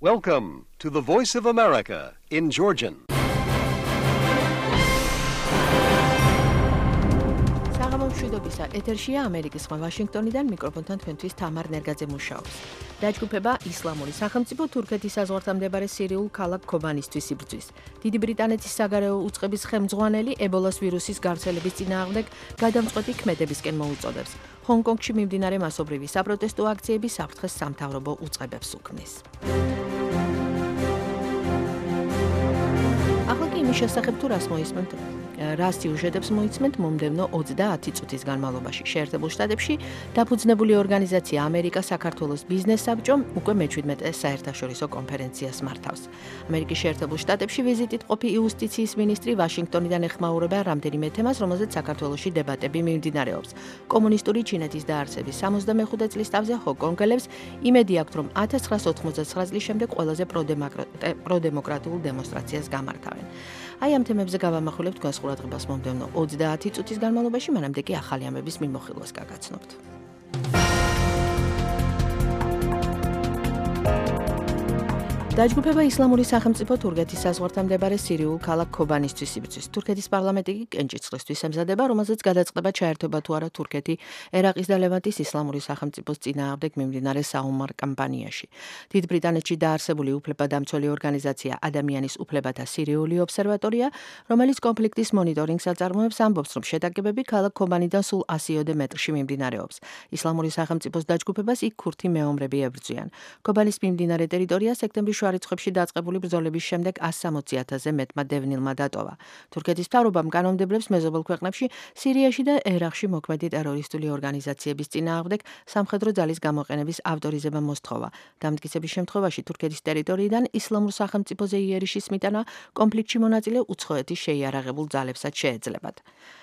Welcome to the Voice of America in Georgian. მშვიდობისა ეთერშია ამერიკის ხმა ვაშინგტონიდან მიკროფონთან თქვენთვის თამარ ნერგაძე მუშაობს. დაჯგუფება ისლამური სახელმწიფო თურქეთის საზღვართან მდებარე სირიულ ქალაქ ქობანისთვის იბრძვის. დიდი ბრიტანეთის საგარეო უწყების ხელმძღვანელი ებოლას ვირუსის გავრცელების წინააღმდეგ გადამწყვეტი ქმედებისკენ მოუწოდებს. ჰონგ-კონგში მიმდინარე მასობრივი საპროტესტო აქციები საფრთხეს სამთავრობო უწყებებს უქმნის. ახლა კი იმის შესახებ თუ რას სიუჟეტებს მოიცმენთ მომდევნო 30 წუთის განმავლობაში. შეერთებულ შტატებში დაფუძნებული ორგანიზაცია ამერიკა საქართველოს ბიზნეს საბჭომ უკვე მე-17 საერთაშორისო კონფერენციას მართავს. ამერიკის შეერთებულ შტატებში ვიზიტით ყოფი იუსტიციის მინისტრი ვაშინგტონიდან ეხმაურება რამდენიმე თემას, რომელზეც საქართველოში დებატები მიმდინარეობს. კომუნისტური ჩინეთის დაარსების 65 წლის თავზე ჰონგ-კონგელებს იმედი აქვთ, რომ 1989 წლის შემდეგ ყველაზე პროდემოკრატიულ დემონსტრაციას გამართავენ. აი ამ თემებზე გავამახვილებთ თქვენს ყურადღებას მომდევნო 30 წუთის განმავლობაში, მანამდე კი ახალი ამბების მიმოხილვას გაგაცნობთ. დაჯგუფება ისლამური სახელმწიფო თურქეთის საზღვართან მდებარე სირიულ ქალაქ ქობანისთვის იბრძვის. თურქეთის პარლამენტი კი კენჭისყრისთვის ემზადება, რომელზეც გადაწყდება ჩაერთვება თუ არა თურქეთი ერაყის და ლევანტის ისლამური სახელმწიფოს წინააღმდეგ მიმდინარე საომარ კამპანიაში. დიდ ბრიტანეთში დაარსებული უფლებადამცველი ორგანიზაცია ადამიანის უფლებათა სირიული ობსერვატორია, რომელიც კონფლიქტის მონიტორინგს აწარმოებს, ამბობს, რომ შეტაკებები ქალაქ ქობანიდან სულ 100-ოდე მეტრში მიმდინარეობს. ისლამური სახელმწიფოს დაჯგუფებას იქ ქურთი მეომრები ებრძვიან. ქობანის მიმდინარე ტერიტორია სექტემბრის რიცხვებში დაწყებული ბრძოლების შემდეგ 160,000-ზე მეტმა დევნილმა დატოვა. თურქეთის მთავრობამ კანონმდებლებს მეზობელ ქვეყნებში სირიაში და ერაყში მოქმედი ტერორისტული ორგანიზაციების წინააღმდეგ სამხედრო ძალის გამოყენების ავტორიზება მოსთხოვა. დამტკიცების შემთხვევაში თურქეთის ტერიტორიიდან ისლამურ სახელმწიფოზე იერიშის მიტანა კონფლიქტში მონაწილე უცხოეთის შეიარაღებულ ძალებსაც შეეძლებათ.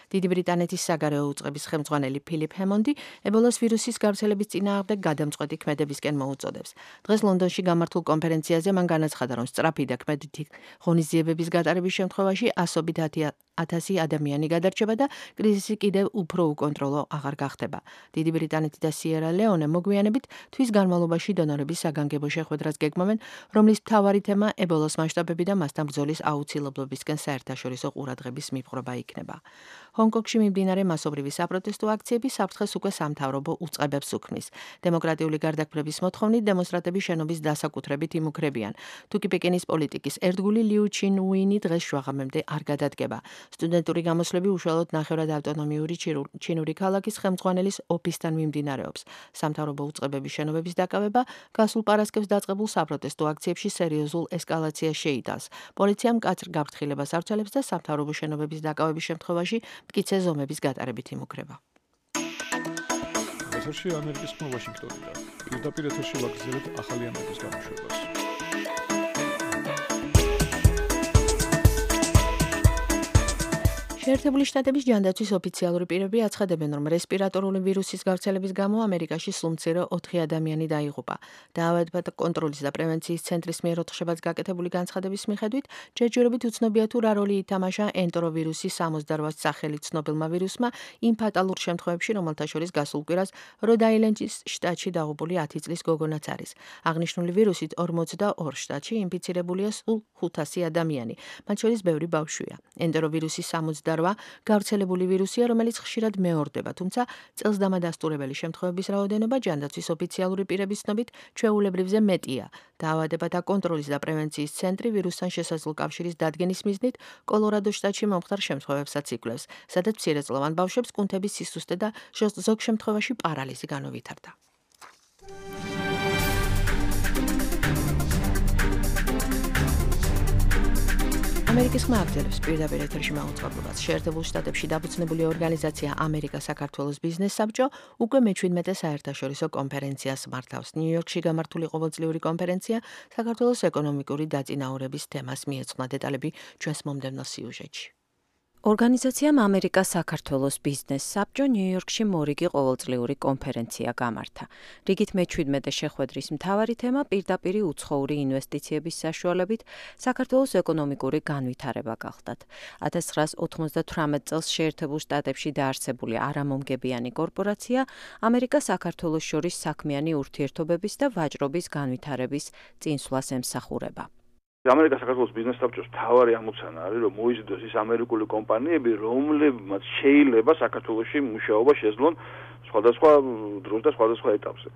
დიდი ბრიტანეთის საგარეო უწყების ხელმძღვანელი ფილიპ ჰემონდი ებოლას ვირუსის გავრცელების წინააღმდეგ გადამწყვეტი ქმედებისკენ მოუწოდებს. დღეს ლონდონში გამართულ კონფერენციაზე მან განაცხადა, რომ სწრაფი და ქმედითი ღონისძიებების გატარების შემთხვევაში 100,000 ადამიანი გადარჩება და კრიზისი კიდევ უფრო უკონტროლო აღარ გახდება. დიდი ბრიტანეთი და სიერა ლეონე მოგვიანებით თვის განმავლობაში დონორების საგანგებო შეხვედრას გეგმავენ, რომლის მთავარი თემა ებოლას მასშტაბები და მასთან ბრძოლის აუცილებლობისკენ საერთაშორისო ყურადღების მიპყრობა იქნება. ჰონგ-კონგში მიმდინარე მასობრივი საპროტესტო აქციები საფრთხეს უკვე სამთავრობო უწყებებს უქმნის. დემოკრატიული გარდაქმნების მოთხოვნით დემონსტრანტები შენობის დასაკუთრებით იმუქრებიან. თუკი პეკინის პოლიტიკის ერთგული liu qinwini დღეს შუაღამემდე არ გადადგება. სტუდენტური გამოსვლები უშუალოდ ნახევრად ავტონომიური ჩინური ქალაქის ხელმძღვანელის ოფისთან მიმდინარეობს. სამთავრობო უწყებების შენობების დაკავება გასულ პარასკევს დაწყებულ საპროტესტო აქციებში სერიოზულ ესკალაციას შეიტანს. პოლიციამ მკაცრ გაფრთხილებას ავრცელებს და სამთავრობო შენობების დაკავების შემთხვევაში მტკიცე ზომების გატარებით იმუქრება. ეთერში ამერიკის ხმა ვაშინგტონიდან. პირდაპირ ეთერში ვაგრძელებთ ახალი ამბების გამოშვებას. შეერთებული შტატების ჯანდაცვის ოფიციალური პირები აცხადებენ, რომ რესპირატორული ვირუსის გავრცელების გამო ამერიკაში სულ მცირე 4 ადამიანი დაიღუპა. დაავადებათა კონტროლის და პრევენციის ცენტრის მიერ 4 შაბათს გაკეთებული განცხადების მიხედვით, ჯერჯერობით უცნობია თუ რა როლი ითამაშა ენტეროვირუსის 68 სახელი ცნობილმა ვირუსმა იმ ფატალურ შემთხვევებში, რომელთა შორის გასულ კვირას როდ-აილენდის შტატში დაღუპული 10 წლის გოგონაც არის. აღნიშნული ვირუსით 42 შტატში ინფიცირებულია სულ 500 ადამიანი, მათ შორის ბევრი ბავშვია. ენტეროვირუსის 68 გავრცელებული ვირუსია, რომელიც ხშირად მეორდება, თუმცა წელს დამადასტურებელი შემთხვევების რაოდენობა ჯანდაცვის ოფიციალური პირების ცნობით ჩვეულებრივზე მეტია. დაავადებათა კონტროლის და პრევენციის ცენტრი ვირუსთან შესაძლო კავშირის დადგენის მიზნით კოლორადოს შტატში მომხდარ შემთხვევებსაც იკვლევს, სადაც მცირეწლოვან ბავშვებს კუნთების სისუსტე და ზოგ შემთხვევაში პარალიზი განუვითარდა. ამერიკის ხმა აგრძელებს პირდაპირ ეთერში მაუწყებლობას. შეერთებულ შტატებში დაფუძნებული ორგანიზაცია ამერიკა საქართველოს ბიზნეს საბჭო უკვე მე-17 საერთაშორისო კონფერენციას მართავს. ნიუ-იორკში გამართული ყოველწლიური კონფერენცია საქართველოს ეკონომიკური დაწინაურების თემას მიეძღვნა. დეტალები ჩვენს მომდევნო სიუჟეტში. ორგანიზაციამ ამერიკა საქართველოს ბიზნეს საბჭო ნიუ-იორკში მორიგი ყოველწლიური კონფერენცია გამართა. რიგით მე-17 შეხვედრის მთავარი თემა პირდაპირი უცხოური ინვესტიციების საშუალებით საქართველოს ეკონომიკური განვითარება გახდათ. 1998 წელს შეერთებულ შტატებში დაარსებული არამომგებიანი კორპორაცია ამერიკა-საქართველოს შორის საქმიანი ურთიერთობების და ვაჭრობის განვითარების წინსვლას ემსახურება. ამერიკა საქართველოს ბიზნეს საბჭოს მთავარი ამოცანა არის, რომ მოიზიდოს ის ამერიკული კომპანიები, რომლებმაც შეიძლება საქართველოში მუშაობა შეძლონ სხვადასხვა დროს და სხვადასხვა ეტაპზე.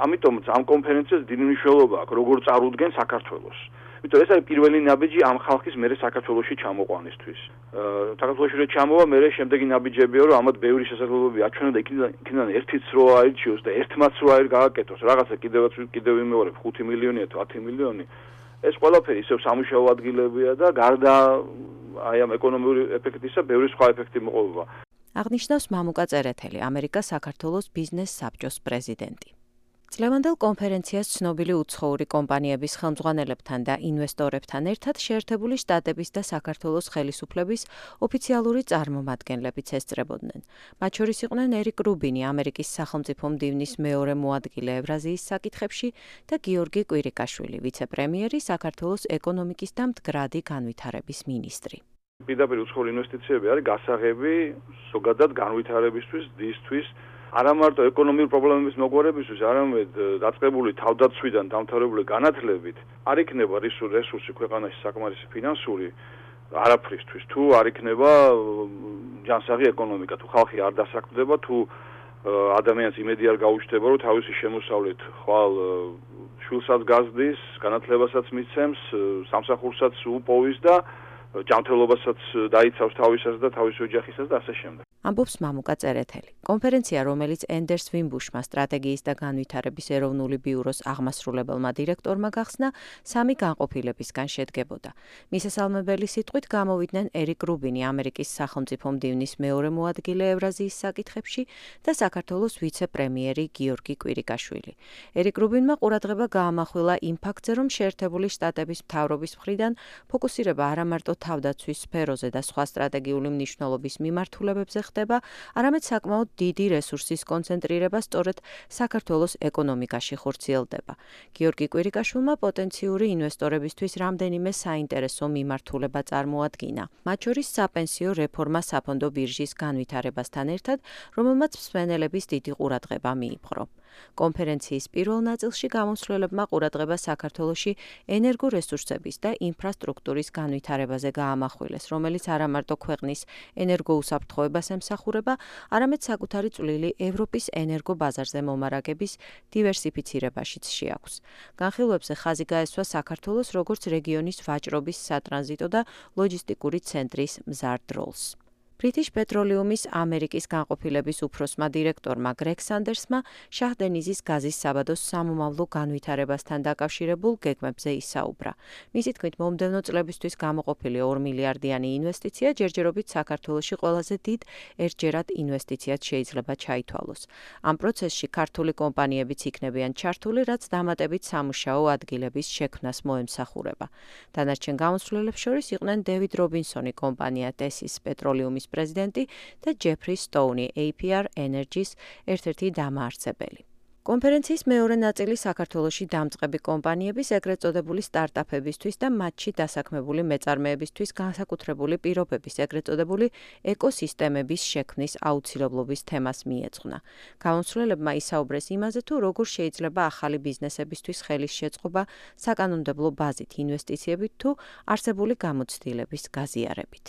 ამიტომაც ამ კონფერენციას დიდი მნიშვნელობა აქვს, როგორ წარუდგენ საქართველოს. იმიტომ ეს არის პირველი ნაბიჯი ამ ხალხის მერე საქართველოში ჩამოყვანისთვის. საქართველოში რო ჩამოვა, მერე შემდეგი ნაბიჯებია, რომ ამათ ბევრი შესაძლებლობები აჩვენა და იქიდან ერთიც რო აირჩიოს და ერთმაც რო გააკეთოს, რაღაცა კიდევ იმეორებ 5 მილიონია თუ 10 მილიონი. ეს ყველაფერი ისევ სამუშაო ადგილებია და გარდა აი ამ ეკონომიური ეფექტისა, ბევრი სხვა ეფექტი მოყოლება. აღნიშნავს მამუკა წერეთელი, ამერიკა-საქართველოს ბიზნეს საბჭოს პრეზიდენტი. წლევანდელ კონფერენციას ცნობილი უცხოური კომპანიების ხელმძღვანელებთან და ინვესტორებთან ერთად შეერთებული შტატების და საქართველოს ხელისუფლების ოფიციალური წარმომადგენლებიც ესწრებოდნენ. მათ შორის იყვნენ ერიკ რუბინი, ამერიკის სახელმწიფო მდივნის მეორე მოადგილე ევრაზიის საკითხებში და გიორგი კვირიკაშვილი, ვიცე-პრემიერი, საქართველოს ეკონომიკის და მდგრადი განვითარების მინისტრი. პირდაპირ უცხოური ინვესტიციები არის გასაღები ზოგადად განვითარებისთვის, დისთვის, არა მარტო ეკონომიკური პრობლემების მოგვარებისთვის, არამედ დაწყებული თავდაცვიდან დამთავრებული განათლებით არ იქნება რესურსი ქვეყანაში საკმარისი ფინანსური არაფრისთვის, თუ არ იქნება ჯანსაღი ეკონომიკა, თუ ხალხი არ დასაქმდება, თუ ადამიანს იმედი არ გაუჩნდება, რომ თავისი შემოსავლით ხვალ შვილსაც გაზრდის, განათლებასაც მიცემს, სამსახურსაც უპოვის და ჯანმრთელობასაც დაიცავს თავისას და თავის ოჯახისას და ასე შემდეგ. ამბობს მამუკა წერეთელი. კონფერენცია, რომელიც ენდერს ვიმბუშმა სტრატეგიის და განვითარების ეროვნული ბიუროს აღმასრულებელმა დირექტორმა გახსნა, 3 განყოფილებისგან შედგებოდა. მისასალმებელი სიტყვით გამოვიდნენ ერიკ რუბინი, ამერიკის სახელმწიფო მდივნის მეორე მოადგილე ევრაზიის საკითხებში და საქართველოს ვიცე-პრემიერი გიორგი კვირიკაშვილი. ერიკ რუბინმა ყურადღება გაამახვილა იმ ფაქტზე, რომ შეერთებული შტატების მთავრობის მხრიდან ფოკუსირება არა მარტო თავდაცვის სფეროზე და სხვა სტრატეგიული მნიშვნელობის მიმართულებებზე ხდება, არამედ საკმაოდ დიდი რესურსის კონცენტრირება სწორედ საქართველოს ეკონომიკაში ხორციელდება. გიორგი კვირიკაშვილმა პოტენციური ინვესტორებისთვის რამდენიმე საინტერესო მიმართულება წარმოადგინა. მათ შორის საპენსიო რეფორმა საფონდო ბირჟის განვითარებასთან ერთად, რომელმაც მსმენელების დიდი ყურადღება მიიპყრო. კონფერენციის პირველ ნაწილში გამოსვლებმა ყურადღება საქართველოში ენერგორესურსების და ინფრასტრუქტურის განვითარებაზე გაამახვილეს, რომელიც არა მარტო ქვეყნის ენერგოუსაფრთხოებას ემსახურება, არამედ საკუთარი წვლილი ევროპის ენერგობაზარზე მომარაგების დივერსიფიცირებაშიც შეაქვს. განხილვებზე ხაზი გაესვა საქართველოს როგორც რეგიონის ვაჭრობის, სატრანზიტო და ლოჯისტიკური ცენტრის მზარდ როლს. ბრიტიშ პეტროლიუმის ამერიკის განყოფილების უფროსმა დირექტორმა გრეგ სანდერსმა შაჰ-დენიზის გაზის საბადოს სამომავლო განვითარებასთან დაკავშირებულ გეგმებზე ისაუბრა. მისი თქმით, მომდევნო წლებისთვის გამოყოფილი 2 მილიარდიანი ინვესტიცია ჯერჯერობით საქართველოში ყველაზე დიდ ერთჯერად ინვესტიციად შეიძლება ჩაითვალოს. ამ პროცესში ქართული კომპანიებიც იქნებიან ჩართული, რაც დამატებით სამუშაო ადგილების შექმნას მოემსახურება. დანარჩენ გამოსვლებებს შორის იყვნენ დევიდ რობინსონი, კომპანია ტესის პეტროლიუმის პრეზიდენტი და ჯეფრი სტოუნი, APR Energy-ს ერთ-ერთი დამაარსებელი. კონფერენციის მეორე ნაწილი საქართველოში დამწყები კომპანიების, ეგრეთ წოდებული სტარტაპებისთვის და მათში დასაქმებული მეწარმეებისთვის განსაკუთრებული პირობების, ეგრეთ წოდებული ეკოსისტემების შექმნის აუცილებლობის თემას მიეძღვნა. გამოსვლებმა ისაუბრეს იმაზე, თუ როგორ შეიძლება ახალი ბიზნესებისთვის ხელის შეწყობა საკანონმდებლო ბაზით, ინვესტიციებით თუ არსებული გამოცდილების გაზიარებით.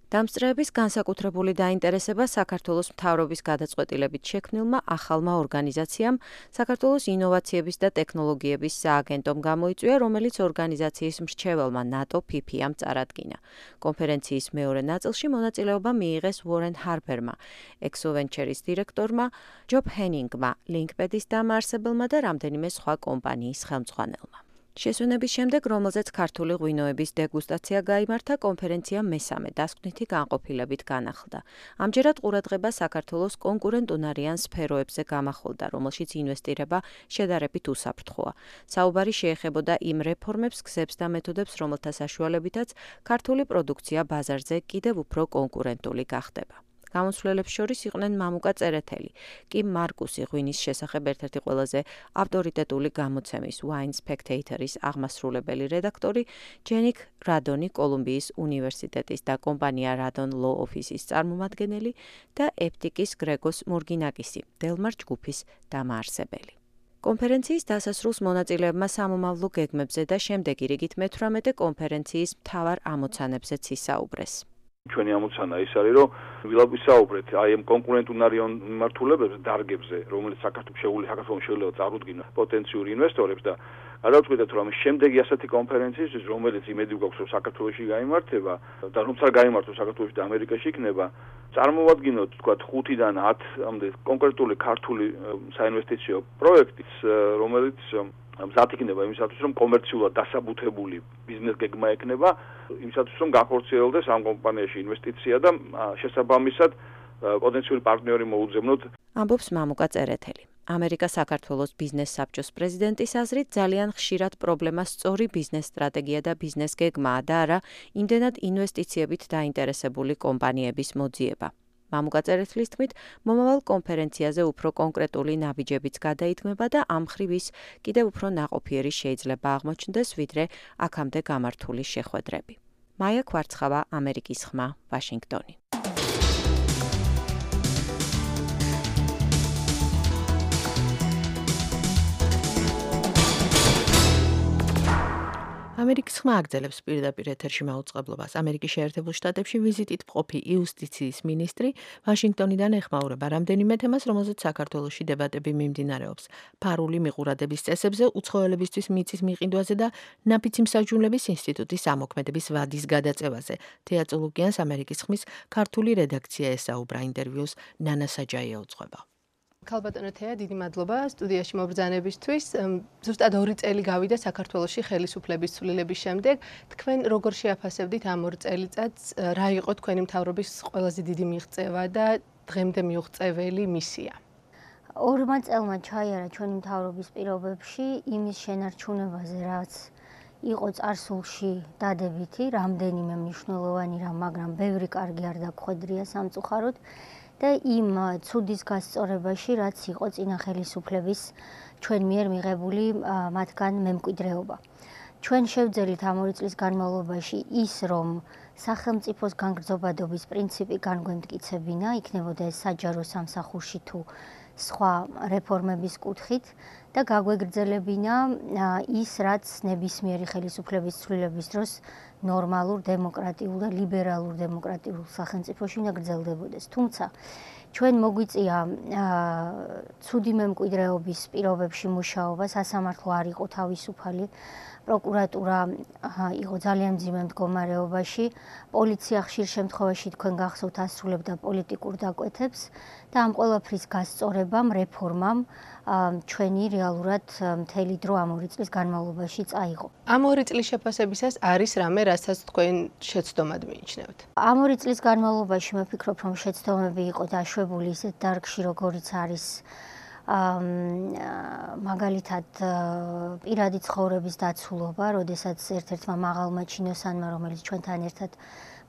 დამსწრეების განსაკუთრებული დაინტერესება საქართველოს მთავრობის გადაწყვეტილებით შექმნილმა ახალმა ორგანიზაციამ საქართველოს ინოვაციების და ტექნოლოგიების სააგენტომ გამოიწვია, რომელიც ორგანიზაციის მრჩეველმა ნატო PPM წარადგინა. კონფერენციის მეორე ნაწილში მონაწილეობა მიიღეს უორენ ჰარბერმა, ექსოვენჩერის დირექტორმა, ჯობ ჰენინგმა, ლინკპედის დამაარსებელმა და რამდენიმე სხვა კომპანიის ხელმძღვანელმა. შესვენების შემდეგ, რომელზეც ქართული ღვინოების დეგუსტაცია გაიმართა, კონფერენცია მესამე დასკვნითი განყოფილებით განახლდა. ამჯერად ყურადღება საქართველოს კონკურენტუნარიან სფეროებზე გამახვილდა, რომელშიც ინვესტირება შედარებით უსაფრთხოა. საუბარი შეეხებოდა იმ რეფორმებს, გზებს და მეთოდებს, რომელთა საშუალებითაც ქართული პროდუქცია ბაზარზე კიდევ უფრო კონკურენტული გახდება. გამოსვლელებს შორის იყვნენ მამუკა წერეთელი, კიმ მარკუსი ღვინის შესახებ ერთ-ერთი ყველაზე ავტორიტეტული გამოცემის Wine Spectator-ის აღმასრულებელი რედაქტორი, ჯენიკ რადონი კოლუმბიის უნივერსიტეტის და კომპანია Radon Law Office-ის წარმომადგენელი და ეპტიკის გრეგოს მურგინაკისი, დელმარ ჯგუფის დამაარსებელი. კონფერენციის დასასრულს მონაწილეებმა სამომავლო გეგმებზე და შემდეგი რიგით მე-18 კონფერენციის მთავარ ამოცანებზეც ისაუბრეს. ჩვენი ამოცანა ის არის, რომ ვისაუბრეთ აი ამ კონკურენტუნარიან მიმართულებებზე, დარგებზე, რომელიც საქართველოს შეიძლება წარუდგინა პოტენციური ინვესტორებს და გადავწყვიტეთ, რომ შემდეგი ასეთი კონფერენციის, რომელიც იმედი გვაქვს, რომ საქართველოში გაიმართება და რომ არ გაიმართოს საქართველოში და ამერიკაში იქნება, წარმოვადგინოთ, თქვათ 5-დან 10-მდე კონკრეტული ქართული საინვესტიციო პროექტის, რომელიც მზად იქნება იმისათვის, რომ კომერციულად დასაბუთებული ბიზნეს გეგმა ექნება, იმისათვის, რომ გახორციელდეს ამ კომპანიაში ინვესტიცია და შესაბამისად პოტენციური პარტნიორი მოუძებნოთ. ამბობს მამუკა წერეთელი. ამერიკა საქართველოს ბიზნეს საბჭოს პრეზიდენტის აზრით ძალიან ხშირად პრობლემა სწორი ბიზნეს სტრატეგია და ბიზნეს გეგმაა და არა იმდენად ინვესტიციებით დაინტერესებული კომპანიების მოძიება. მამუკა წერეთლის თქმით, მომავალ კონფერენციაზე უფრო კონკრეტული ნაბიჯებიც გადაითქმება და ამ მხრივ ის კიდევ უფრო ნაყოფიერი შეიძლება აღმოჩნდეს, ვიდრე აქამდე გამართული შეხვედრები. მაია ქვარცხავა, ამერიკის ხმა, ვაშინგტონი. ამერიკის ხმა აგრძელებს პირდაპირ ეთერში მაუწყებლობას. ამერიკის შეერთებულ შტატებში ვიზიტით მყოფი იუსტიციის მინისტრი ვაშინგტონიდან ეხმაურება რამდენიმე თემას, რომელზეც საქართველოში დებატები მიმდინარეობს. ფარული მიყურადების წესებზე, უცხოელებისთვის მიწის მიყიდვაზე და ნაფიცი მსაჯულების ინსტიტუტის ამოქმედების ვადის გადაწევაზე. თეა წულუკიანს ამერიკის ხმის ქართული რედაქცია ესაუბრა. ინტერვიუს ნანა საჯაია უძღვება. ქალბატონო თეა, დიდი მადლობა სტუდიაში მობრძანებისთვის. ზუსტად 2 წელი გავიდა საქართველოში ხელისუფლების ცვლილების შემდეგ. თქვენ როგორ შეაფასებდით ამ 2 წელიწადს, რა იყო თქვენი მთავრობის ყველაზე დიდი მიღწევა და დღემდე მიუღწეველი მისია? 2 წელმა ჩაიარა ჩვენი მთავრობის პირობებში იმის შენარჩუნებაზე, რაც იყო წარსულში დადებითი, რამდენიმე მნიშვნელოვანი რამ, მაგრამ ბევრი კარგი არ დაგხვედრია სამწუხაროდ. და იმ ცუდის გასწორებაში, რაც იყო წინა ხელისუფლების ჩვენ მიერ მიღებული მათგან მემკვიდრეობა. ჩვენ შევძელით ამ 2 წლის განმავლობაში ის, რომ სახელმწიფოს განგრძობადობის პრინციპი განგვემტკიცებინა, იქნებოდა ეს საჯარო სამსახურში თუ სხვა რეფორმების კუთხით და გაგვეგრძელებინა ის, რაც ნებისმიერი ხელისუფლების ცვლილების დროს ნორმალურ, დემოკრატიულ და ლიბერალურ დემოკრატიულ სახელმწიფოში უნდა გრძელდებოდეს. თუმცა ჩვენ მოგვიწია ცუდი მემკვიდრეობის პირობებში მუშაობა, სასამართლო არ იყო თავისუფალი, პროკურატურა იყო ძალიან მძიმე მდგომარეობაში, პოლიცია ხშირ შემთხვევაში თქვენ გახსოვთ ასრულებდა პოლიტიკურ დაკვეთებს და ამ ყველაფრის გასწორებამ, რეფორმამ ჩვენი რეალურად მთელი დრო ამ 2 წლის განმავლობაში წაიღო. ამ 2 წლის შეფასებისას არის რამე, რასაც თქვენ შეცდომად მიიჩნევთ? ამ 2 წლის განმავლობაში მე ვფიქრობ, რომ შეცდომები იყო დაშვებული ისეთ დარგში, როგორიც არის მაგალითად პირადი ცხოვრების დაცულობა, როდესაც ერთ-ერთმა მაღალმა ჩინოსანმა, რომელიც ჩვენთან ერთად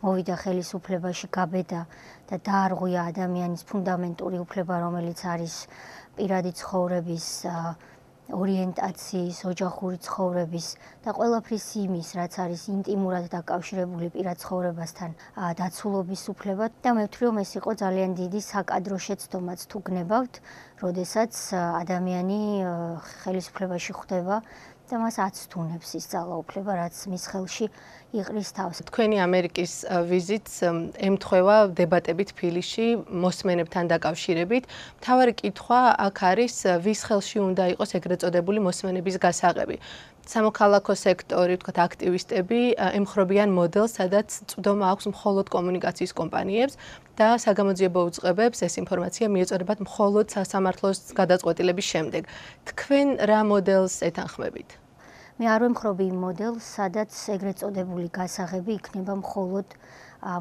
მოვიდა ხელისუფლებაში, გაბედა და დაარღვია ადამიანის ფუნდამენტური უფლება, რომელიც არის პირადი ცხოვრების, ორიენტაციის, ოჯახური ცხოვრების და ყველაფრის იმის, რაც არის ინტიმურად დაკავშირებული პირად ცხოვრებასთან დაცულობის უფლება და მე ვთვლი, რომ ეს იყო ძალიან დიდი საკადრო შეცდომაც თუ გნებავთ, როდესაც ადამიანი ხელისუფლებაში ხვდება და მას აცთუნებს ის ძალაუფლება, რაც მის ხელში იყრის თავს. თქვენი ამერიკის ვიზიტს ემთხვევა დებატებით თბილისში მოსმენებთან დაკავშირებით. მთავარი კითხვა აქ არის, ვის ხელში უნდა იყოს ეგრეთ წოდებული მოსმენების გასაღები. სამოქალაქო სექტორი, ვთქვათ, აქტივისტები ემხრობიან მოდელს, სადაც წვდომა აქვს მხოლოდ კომუნიკაციის კომპანიებს და საგამოძიებო უწყებებს ეს ინფორმაცია მიეწოდებათ მხოლოდ სასამართლოს გადაწყვეტილების შემდეგ. თქვენ რა მოდელს ეთანხმებით? მე არ ვემხრობი იმ მოდელს, სადაც ეგრეთ წოდებული გასაღები იქნება მხოლოდ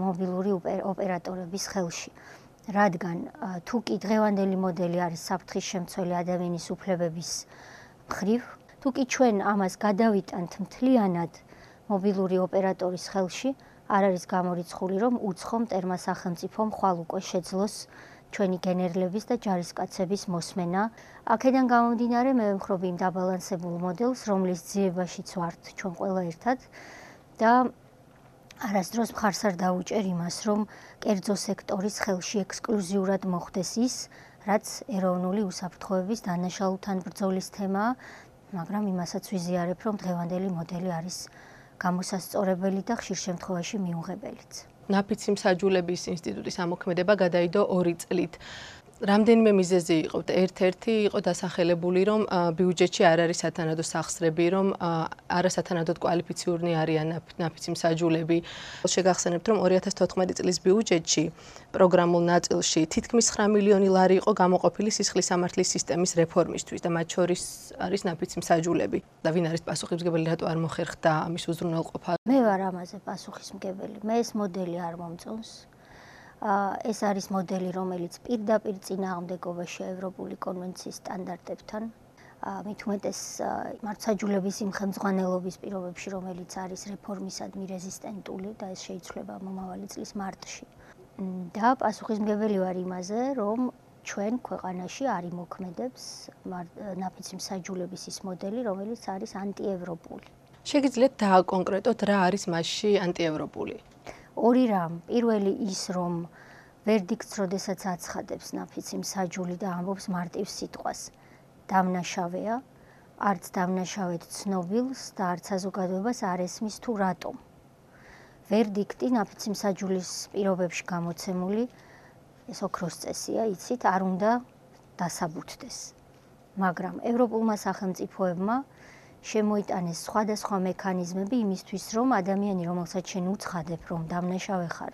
მობილური ოპერატორების ხელში. რადგან თუ კი დღევანდელი მოდელი არის საფრთხის შემცველი ადამიანის უფლებების მხრივ, თუ კი ჩვენ ამას გადავიტანთ მთლიანად მობილური ოპერატორის ხელში, არ არის გამორიცხული, რომ უცხო მტერმა სახელმწიფომ ხვალ უკვე შეძლოს ჩვენი გენერლების და ჯარისკაცების მოსმენა. აქედან გამომდინარე, მე ვემხრობი იმ დაბალანსებულ მოდელს, რომლის ძიებაშიც ვართ ჩვენ ყველა ერთად და არასდროს მხარს არ დაუჭერ იმას, რომ კერძო სექტორის ხელში ექსკლუზიურად მოხდეს ის, რაც ეროვნული უსაფრთხოების დანაშაულთან ბრძოლის თემაა, მაგრამ იმასაც ვიზიარებ, რომ დღევანდელი მოდელი არის გამოსასწორებელი და ხშირ შემთხვევაში მიუღებელიც. ნაფიცი მსაჯულების ინსტიტუტის ამოქმედება გადაიდო 2 წლით. რამდენიმე მიზეზი იყო. ერთ-ერთი იყო დასახელებული, რომ ბიუჯეტში არ არის სათანადო სახსრები, რომ არასათანადოდ კვალიფიციური არიან ნაფიცი მსაჯულები. შეგახსენებთ, რომ 2014 წლის ბიუჯეტში პროგრამულ ნაწილში თითქმის 9 მილიონი ლარი იყო გამოყოფილი სისხლის სამართლის სისტემის რეფორმისთვის და მათ შორის არის ნაფიცი მსაჯულები. და ვინ არის პასუხისმგებელი, რატო არ მოხერხდა ამის უზრუნველყოფა? მე ვარ ამაზე პასუხისმგებელი. მე ეს მოდელი არ მომწონს. ეს არის მოდელი, რომელიც პირდაპირ წინააღმდეგობაშია ევროპული კონვენციის სტანდარტებთან. მით უმეტეს მართლმსაჯულების იმ ხელმძღვანელობის პირობებში, რომელიც არის რეფორმისადმი რეზისტენტული და ეს შეიცვლება მომავალი წლის მარტში. და პასუხისმგებელი ვარ იმაზე, რომ ჩვენ ქვეყანაში არ იმოქმედებს ნაფიცი მსაჯულების ის მოდელი, რომელიც არის ანტიევროპული. შეგიძლიათ დააკონკრეტოთ, რა არის მასში ანტიევროპული? 2 რამ. პირველი ის, რომ ვერდიქტს როდესაც აცხადებს ნაფიცი მსაჯული და ამბობს მარტივ სიტყვას, დამნაშავეა, არც დამნაშავედ ცნობილს და არც საზოგადოებას არ ესმის თუ რატომ. ვერდიქტი ნაფიცი მსაჯულის პირობებში გამოცემული, ეს ოქროს წესია, იცით, არ უნდა დასაბუთდეს. მაგრამ ევროპულმა სახელმწიფოებმა შემოიტანეს სხვადასხვა მექანიზმები იმისთვის, რომ ადამიანი, რომელსაც შენ უცხადებ, რომ დამნაშავე ხარ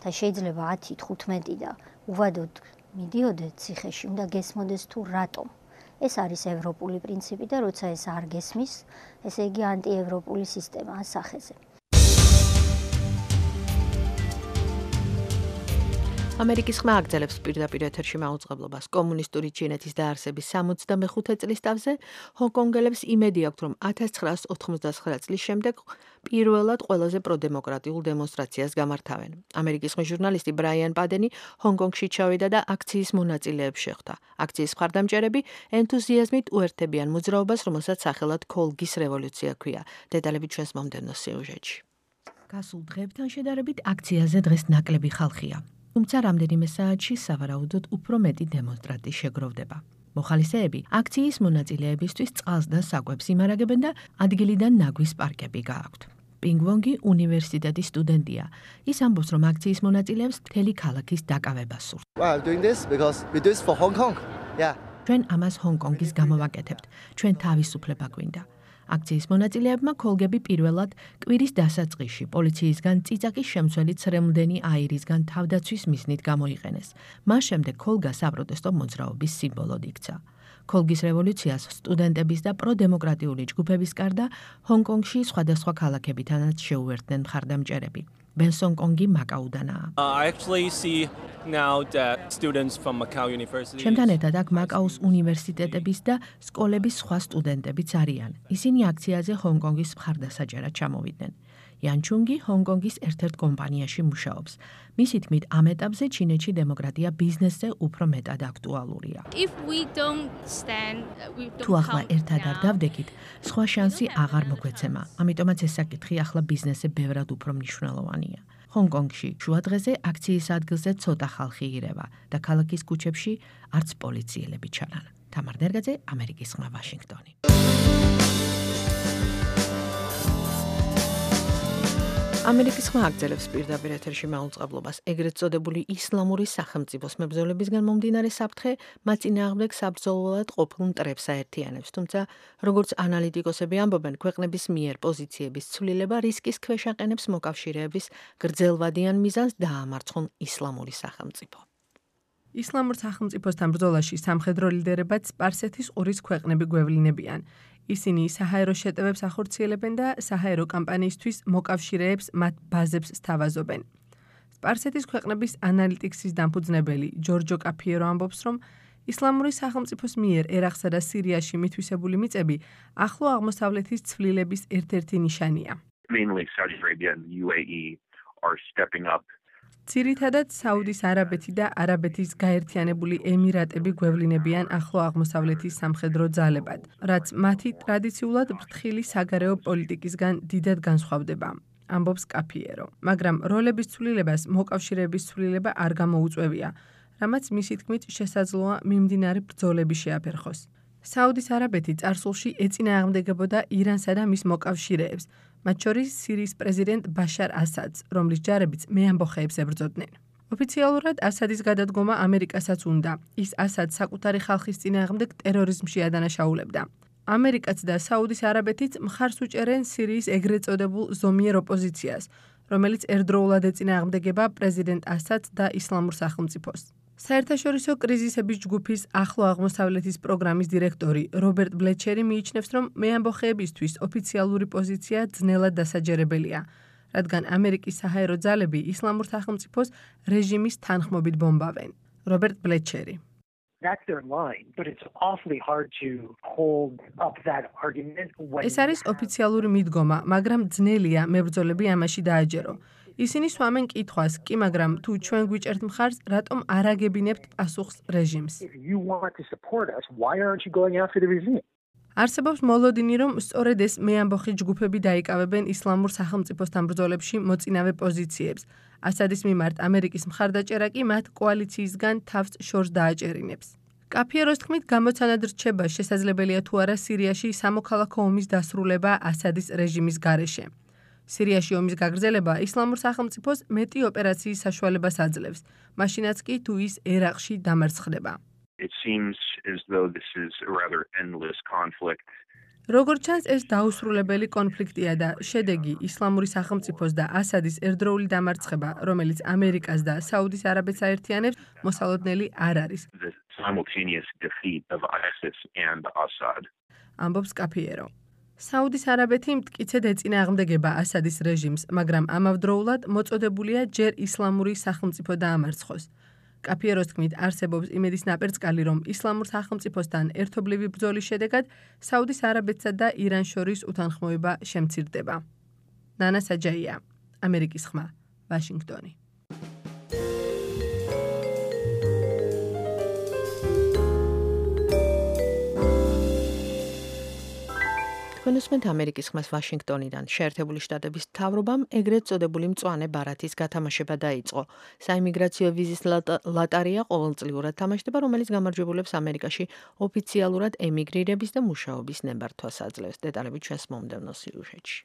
და შეიძლება 10-15 და უვადოდ მიდიოდე ციხეში, უნდა გესმოდეს თუ რატომ. ეს არის ევროპული პრინციპი და როცა ეს არ გესმის, ესე იგი ანტიევროპული სისტემაა სახეზე. ამერიკის ხმა აგრძელებს პირდაპირ ეთერში მაუწყებლობას კომუნისტური ჩინეთის დაარსების 65 წლის თავზე. ჰონკონგელებს იმედი აქვთ, რომ 1989 წლის შემდეგ პირველად ყველაზე პროდემოკრატიულ დემონსტრაციას გამართავენ. ამერიკის ხმის ჟურნალისტი ბრაიან პადენი ჰონკონგში ჩავიდა და აქციის მონაწილეებს შეხვდა. აქციის მხარდამჭერები ენთუზიაზმით უერთებიან მოძრაობას, რომელსაც სახელად ქოლგის რევოლუცია ჰქვია. დეტალები ჩვენს მომდევნო სიუჟეტში. გასულ დღეებთან შედარებით აქციაზე დღეს ნაკლები ხალხია. თუმცა რამდენიმე საათში სავარაუდოდ უფრო მეტი დემონსტრანტი შეგროვდება. მოხალისეები აქციის მონაწილეებისთვის წყალს და საკვებს იმარაგებენ და ადგილიდან ნაგვის პარკები გააქვთ. პინგვონგი უნივერსიტეტის სტუდენტია. ის ამბობს, რომ აქციის მონაწილეებს მთელი ქალაქის დაკავება სურთ. ჩვენ ამას ჰონკონგის გამო ვაკეთებთ. ჩვენ თავისუფლება გვინდა. აქციის მონაწილეებმა ქოლგები პირველად კვირის დასაწყისში პოლიციისგან წიწაკის შემცველი ცრემლდენი აირისგან თავდაცვის მიზნით გამოიყენეს. მას შემდეგ ქოლგა საპროტესტო მოძრაობის სიმბოლოდ იქცა. ქოლგის რევოლუციას სტუდენტების და პროდემოკრატიული ჯგუფების გარდა ჰონკონგში სხვადასხვა ქალაქებიდანაც შეუერთდნენ მხარდამჭერები. ბენსონ კონგი მაკაუდანაა. ჩემთან ერთად აქ მაკაუს უნივერსიტეტების და სკოლების სხვა სტუდენტებიც არიან. ისინი აქციაზე ჰონკონგის მხარდასაჭერად ჩამოვიდნენ. იანჩუნგი ჰონკონგის ერთ-ერთ კომპანიაში მუშაობს. მისი თქმით, ამ ეტაპზე ჩინეთში დემოკრატია ბიზნესზე უფრო მეტად აქტუალურია. თუ ახლა ერთად არ დავდექით, სხვა შანსი აღარ მოგვეცემა. ამიტომაც ეს საკითხი ახლა ბიზნესზე ბევრად უფრო მნიშვნელოვანია. ჰონკონგში შუადღეზე აქციის ადგილზე ცოტა ხალხი ირევა და ქალაქის ქუჩებში არც პოლიციელები ჩანან. თამარ დერგაძე, ამერიკის ხმა, ვაშინგტონი. ამერიკის ხმა აგრძელებს პირდაპირ ეთერში მაუწყებლობას. ეგრეთ წოდებული ისლამური სახელმწიფოს მებრძოლებისგან მომდინარე საფრთხე მათ წინააღმდეგ საბრძოლველად ყოფილ მტრებს აერთიანებს. თუმცა, როგორც ანალიტიკოსები ამბობენ, ქვეყნების მიერ პოზიციების ცვლილება რისკის ქვეშ აყენებს მოკავშირეების გრძელვადიან მიზანს დაამარცხონ ისლამური სახელმწიფო. ისლამურ სახელმწიფოსთან ბრძოლაში სამხედრო ლიდერებად სპარსეთის ყურის ქვეყნები გვევლინებიან. ისინი საჰაერო შეტევებს ახორციელებენ და საჰაერო კამპანიისთვის მოკავშირეებს მათ ბაზებს სთავაზობენ. სპარსეთის ქვეყნების ანალიტიქსის დამფუძნებელი ჯორჯო კაფიერო ამბობს, რომ ისლამური სახელმწიფოს მიერ ერაყსა და სირიაში მითვისებული მიწები ახლო აღმოსავლეთის ცვლილების ერთ-ერთი ნიშანია. Mainly Saudi Arabia and the UAE are stepping up. ძირითადად საუდის არაბეთი და არაბეთის გაერთიანებული ემირატები გვევლინებიან ახლო აღმოსავლეთის სამხედრო ძალებად, რაც მათი ტრადიციულად ფრთხილი საგარეო პოლიტიკისგან დიდად განსხვავდება. ამბობს კაფიერო, მაგრამ როლების ცვლილებას მოკავშირეების ცვლილება არ გამოუწვევია, რამაც მისი თქმით შესაძლოა მიმდინარე ბრძოლები შეაფერხოს. საუდის არაბეთი წარსულში ეწინააღმდეგებოდა ირანსა და მის მოკავშირეებს, მათ შორის სირიის პრეზიდენტ ბაშარ ასადს, რომლის ჯარებიც მეამბოხეებს ებრძოდნენ. ოფიციალურად ასადის გადადგომა ამერიკასაც უნდა. ის ასადს საკუთარი ხალხის წინააღმდეგ ტერორიზმში ადანაშაულებდა. ამერიკაც და საუდის არაბეთიც მხარს უჭერენ სირიის ეგრეთ წოდებულ ზომიერ ოპოზიციას, რომელიც ერთდროულად ეწინააღმდეგება პრეზიდენტ ასადს და ისლამურ სახელმწიფოს. საერთაშორისო კრიზისების ჯგუფის ახლო აღმოსავლეთის პროგრამის დირექტორი რობერტ ბლეჩერი მიიჩნევს, რომ მეამბოხეებისთვის ოფიციალური პოზიცია ძნელად დასაჯერებელია, რადგან ამერიკის საჰაერო ძალები ისლამურ სახელმწიფოს რეჟიმის თანხმობით ბომბავენ. რობერტ ბლეჩერი. That's their line, but it's awfully hard to hold up that argument when ეს არის ოფიციალური მიდგომა, მაგრამ ძნელია მებრძოლები ამაში დააჯერო. ისინი სვამენ კითხვას, კი მაგრამ თუ ჩვენ გვიჭერთ მხარს, რატომ არ აგებინებთ პასუხს რეჟიმს? if you want to support us, why aren't you going after the regime? არსებობს მოლოდინი, რომ სწორედ ეს მეამბოხი ჯგუფები დაიკავებენ ისლამურ სახელმწიფოსთან ბრძოლებში მოწინავე პოზიციებს. ასადის მიმართ ამერიკის მხარდაჭერა კი მათ კოალიციისგან თავს შორს დააჭერინებს. კაფიეროს თქმით, გამოცანად რჩება შესაძლებელია თუ არა სირიაში სამოქალაქო ომის დასრულება ასადის რეჟიმის გარეშე. სირიაში ომის გაგრძელება ისლამურ სახელმწიფოს მეტი ოპერაციის საშუალებას აძლევს, მაშინაც კი თუ ის ერაყში დამარცხდება. It seems as though this is a rather endless conflict. როგორც ჩანს, ეს დაუსრულებელი კონფლიქტია და შედეგი ისლამური სახელმწიფოს და ასადის ერთდროული დამარცხება, რომელიც ამერიკას და საუდის არაბეთს აერთიანებს, მოსალოდნელი არ არის. The simultaneous defeat of ISIS and Assad. ამბობს კაფიერო. საუდის არაბეთი მტკიცედ ეწინააღმდეგება ასადის რეჟიმს, მაგრამ ამავდროულად მოწოდებულია ჯერ ისლამური სახელმწიფო დაამარცხოს. კაფიეროს თქმით, არსებობს იმედის ნაპერწკალი, რომ ისლამურ სახელმწიფოსთან ერთობლივი ბრძოლის შედეგად საუდის არაბეთსა და ირანს შორის უთანხმოება შემცირდება. ნანა საჯაია, ამერიკის ხმა, ვაშინგტონი. თქვენუსმენთ ამერიკის ხმას ვაშინგტონიდან. შეერთებული შტატების მთავრობამ ეგრეთ წოდებული მწვანე ბარათის გათამაშება დაიწყო. საიმიგრაციო ვიზის ლატარია ყოველწლიურად თამაშდება, რომელიც გამარჯვებულებს ამერიკაში ოფიციალურად ემიგრირების და მუშაობის ნებართვას აძლევს. დეტალები ჩვენს მომდევნო სიუჟეტში.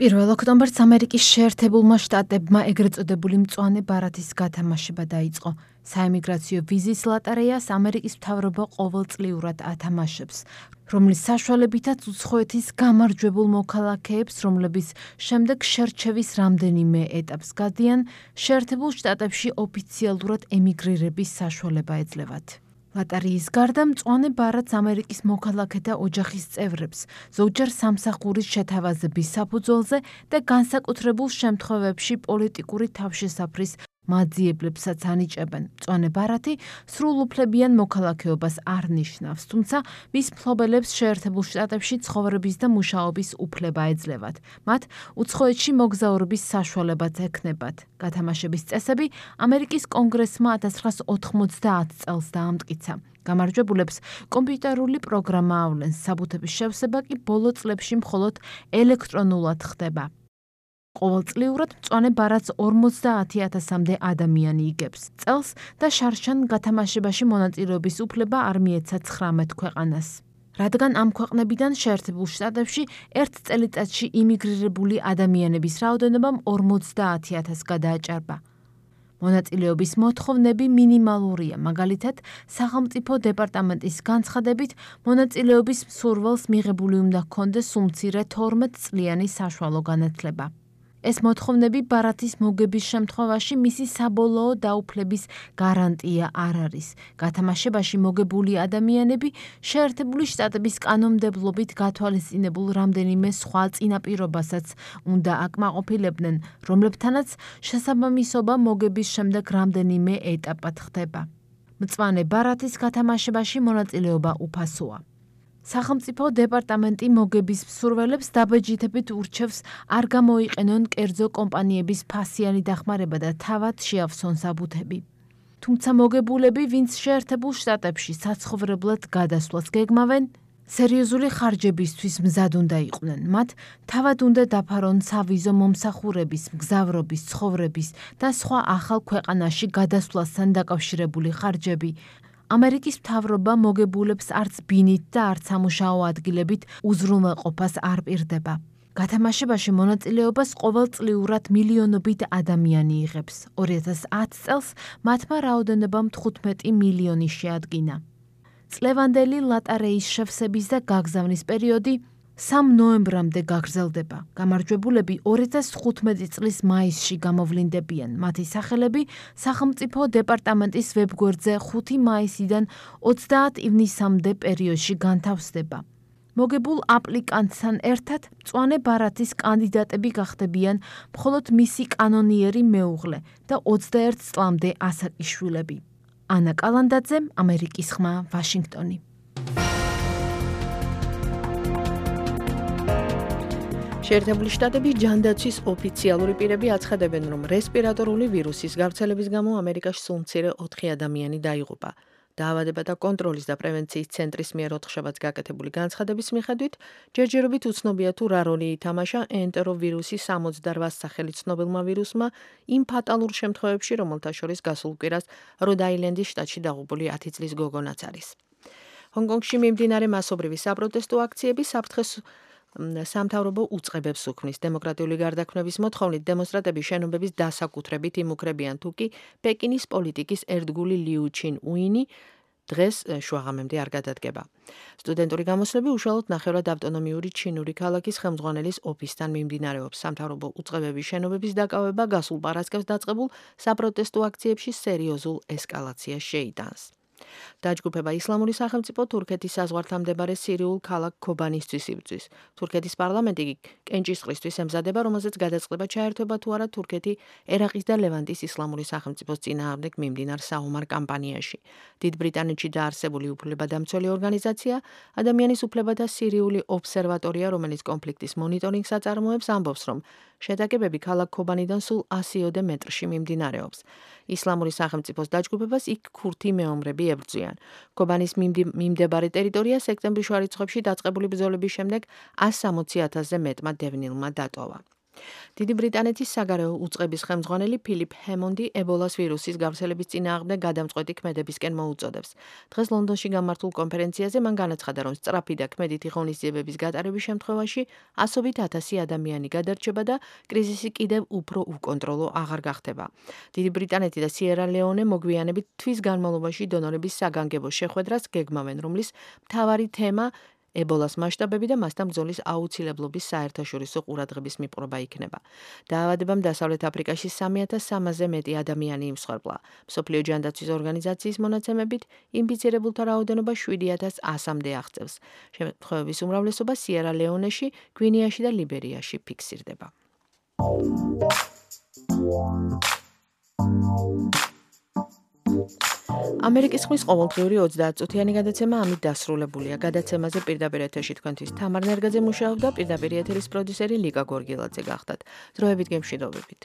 პირველ ოქტომბერს ამერიკის შეერთებულმა შტატებმა ეგრეთ წოდებული მწვანე ბარათის გათამაშება დაიწყო. საიმიგრაციო ვიზის ლატარეას ამერიკის მთავრობა ყოველწლიურად ათამაშებს, რომლის საშუალებითაც უცხოეთის გამარჯვებულ მოქალაქეებს, რომლებიც შემდეგ შერჩევის რამდენიმე ეტაპს გადიან, შეერთებულ შტატებში ოფიციალურად ემიგრირების საშუალება ეძლევათ. ლატარიის გარდა მწვანე ბარათს ამერიკის მოქალაქეთა ოჯახის წევრებს, ზოგჯერ სამსახურის შეთავაზების საფუძველზე და განსაკუთრებულ შემთხვევებში პოლიტიკური თავშესაფრის მაძიებლებსაც ანიჭებენ. მწვანე ბარათი სრულუფლებიან მოქალაქეობას არ ნიშნავს, თუმცა მის მფლობელებს შეერთებულ შტატებში ცხოვრების და მუშაობის უფლება ეძლევათ. მათ უცხოეთში მოგზაურობის საშუალებაც ექნებათ. გათამაშების წესები ამერიკის კონგრესმა 1990 წელს დაამტკიცა. გამარჯვებულებს კომპიუტერული პროგრამა ავლენს, საბუთების შევსება კი ბოლო წლებში მხოლოდ ელექტრონულად ხდება. ყოველწლიურად მწვანე ბარათს 50,000-მდე ადამიანი იგებს წელს და შარშან გათამაშებაში მონაწილეობის უფლება არ მიეცა 19 ქვეყანას. რადგან ამ ქვეყნებიდან შეერთებულ შტატებში ერთ წელიწადში იმიგრირებული ადამიანების რაოდენობამ 50,000-ს გადააჭარბა. მონაწილეობის მოთხოვნები მინიმალურია, მაგალითად, სახელმწიფო დეპარტამენტის განცხადებით, მონაწილეობის მსურველს მიღებული უნდა ჰქონდეს უმცირე 12 წლიანი საშუალო განათლება. ეს მოთხოვნები ბარათის მოგების შემთხვევაში მისი საბოლოო დაუფლების გარანტია არ არის. გათამაშებაში მოგებული ადამიანები შეერთებული შტატების კანონმდებლობით გათვალისწინებულ რამდენიმე სხვა წინაპირობასაც უნდა აკმაყოფილებდნენ, რომლებთანაც შესაბამისობა მოგების შემდეგ რამდენიმე ეტაპად ხდება. მწვანე ბარათის გათამაშებაში მონაწილეობა უფასოა. სახელმწიფო დეპარტამენტი მოგების მსურველებს დაბეჯითებით ურჩევს არ გამოიყენონ კერძო კომპანიების ფასიანი დახმარება და თავად შეავსონ საბუთები. თუმცა მოგებულები, ვინც შეერთებულ შტატებში საცხოვრებლად გადასვლას გეგმავენ, სერიოზული ხარჯებისთვის მზად უნდა იყვნენ. მათ თავად უნდა დაფარონ სავიზო მომსახურების, მგზავრობის, ცხოვრების და სხვა ახალ ქვეყანაში გადასვლასთან დაკავშირებული ხარჯები. ამერიკის მთავრობა მოგებულებს არც ბინით და არც სამუშაო ადგილებით უზრუნველყოფას არ პირდება. გათამაშებაში მონაწილეობას ყოველწლიურად მილიონობით ადამიანი იღებს. 2010 წელს მათმა რაოდენობამ 15 მილიონი შეადგინა. წლევანდელი ლატარეის შევსების და გაგზავნის პერიოდი 3 ნოემბრამდე გაგრძელდება. გამარჯვებულები 2015 წლის მაისში გამოვლინდებიან. მათი სახელები სახელმწიფო დეპარტამენტის ვებგვერდზე 5 მაისიდან 30 ივნისამდე პერიოდში განთავსდება. მოგებულ აპლიკანტთან ერთად მწვანე ბარათის კანდიდატები გახდებიან მხოლოდ მისი კანონიერი მეუღლე და 21 წლამდე ასაკიშვილები. ანა კალანდაძე, ამერიკის ხმა, ვაშინგტონი. შეერთებული შტატების ჯანდაცვის ოფიციალური პირები აცხადებენ, რომ რესპირატორული ვირუსის გავრცელების გამო ამერიკაში სულ მცირე 4 ადამიანი დაიღუპა. დაავადებათა კონტროლის და პრევენციის ცენტრის მიერ 4 შაბათს გაკეთებული განცხადების მიხედვით, ჯერჯერობით უცნობია თუ რა როლი ითამაშა ენტეროვირუსის 68 სახელი ცნობილმა ვირუსმა იმ ფატალურ შემთხვევებში, რომელთა შორის გასულ კვირას როდ-აილენდის შტატში დაღუპული 10 წლის გოგონაც არის. ჰონგ-კონგში მიმდინარე მასობრივი საპროტესტო აქციები საფრთხეს სამთავრობო უწყებებს უქმნის. დემოკრატიული გარდაქმნების მოთხოვნით დემონსტრანტები შენობების დასაკუთრებით იმუქრებიან, თუ კი პეკინის პოლიტიკის ერთგული ლიუ ჩინ უინი დღეს შუაღამემდე არ გადადგება. სტუდენტური გამოსვლები უშუალოდ ნახევრად ავტონომიური ჩინური ქალაქის ხელმძღვანელის ოფისთან მიმდინარეობს. სამთავრობო უწყებების შენობების დაკავება გასულ პარასკევს დაწყებულ საპროტესტო აქციებში სერიოზულ ესკალაციას შეიტანს. დაჯგუფება ისლამური სახელმწიფო თურქეთის საზღვართან მდებარე სირიულ ქალაქ ქობანისთვის იბრძვის. თურქეთის პარლამენტი კენჭისყრისთვის ემზადება, რომელზეც გადაწყდება ჩაერთვება თუ არა თურქეთი ერაყის და ლევანტის ისლამური სახელმწიფოს წინააღმდეგ მიმდინარ საომარ კამპანიაში. დიდ ბრიტანეთში დაარსებული უფლებადამცველი ორგანიზაცია ადამიანის უფლებათა სირიული ობსერვატორია, რომელიც კონფლიქტის მონიტორინგს აწარმოებს, ამბობს, რომ შეტაკებები ქალაქ ქობანიდან სულ 100-ოდე მეტრში მიმდინარეობს. ისლამური სახელმწიფოს დაჯგუფებას იქ ქურთი მეომრები ებრძვიან. ქობანის მიმდებარე ტერიტორია სექტემბრის შუა რიცხვებში დაწყებული ბრძოლების შემდეგ 160,000-ზე მეტმა დევნილმა დატოვა. დიდი ბრიტანეთის საგარეო უწყების ხელმძღვანელი ფილიპ ჰემონდი ებოლას ვირუსის გავრცელების წინააღმდეგ გადამწყვეტი ქმედებისკენ მოუწოდებს. დღეს ლონდონში გამართულ კონფერენციაზე მან განაცხადა, რომ სწრაფი და ქმედითი ღონისძიებების გატარების შემთხვევაში 100,000 ადამიანი გადარჩება და კრიზისი კიდევ უფრო უკონტროლო აღარ გახდება. დიდი ბრიტანეთი და სიერა ლეონე მოგვიანებით თვის განმავლობაში დონორების საგანგებო შეხვედრას გეგმავენ, რომლის მთავარი თემა ებოლას მასშტაბები და მასთან ბრძოლის აუცილებლობის საერთაშორისო ყურადღების მიპყრობა იქნება. დაავადებამ დასავლეთ აფრიკაში 3,300-ზე მეტი ადამიანი იმსხვერპლა. მსოფლიო ჯანდაცვის ორგანიზაციის მონაცემებით ინფიცირებულთა რაოდენობა 7,100-მდე აღწევს. შემთხვევების უმრავლესობა სიერა ლეონეში, გვინეაში და ლიბერიაში ფიქსირდება. ამერიკის ხმის ყოველდღიური 30 წუთიანი გადაცემა ამით დასრულებულია. გადაცემაზე პირდაპირ ეთერში თქვენთვის თამარ ნერგაძე მუშაობდა, პირდაპირ ეთერის პროდიუსერი ლიკა გორგილაძე გახდათ. დროებით გემშვიდობებით.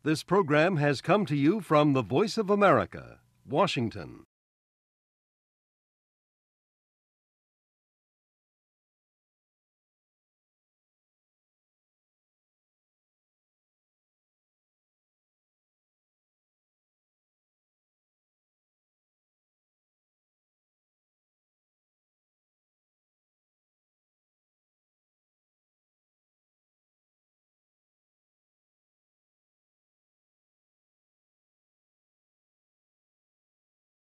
This program has come to you from the Voice of America, Washington.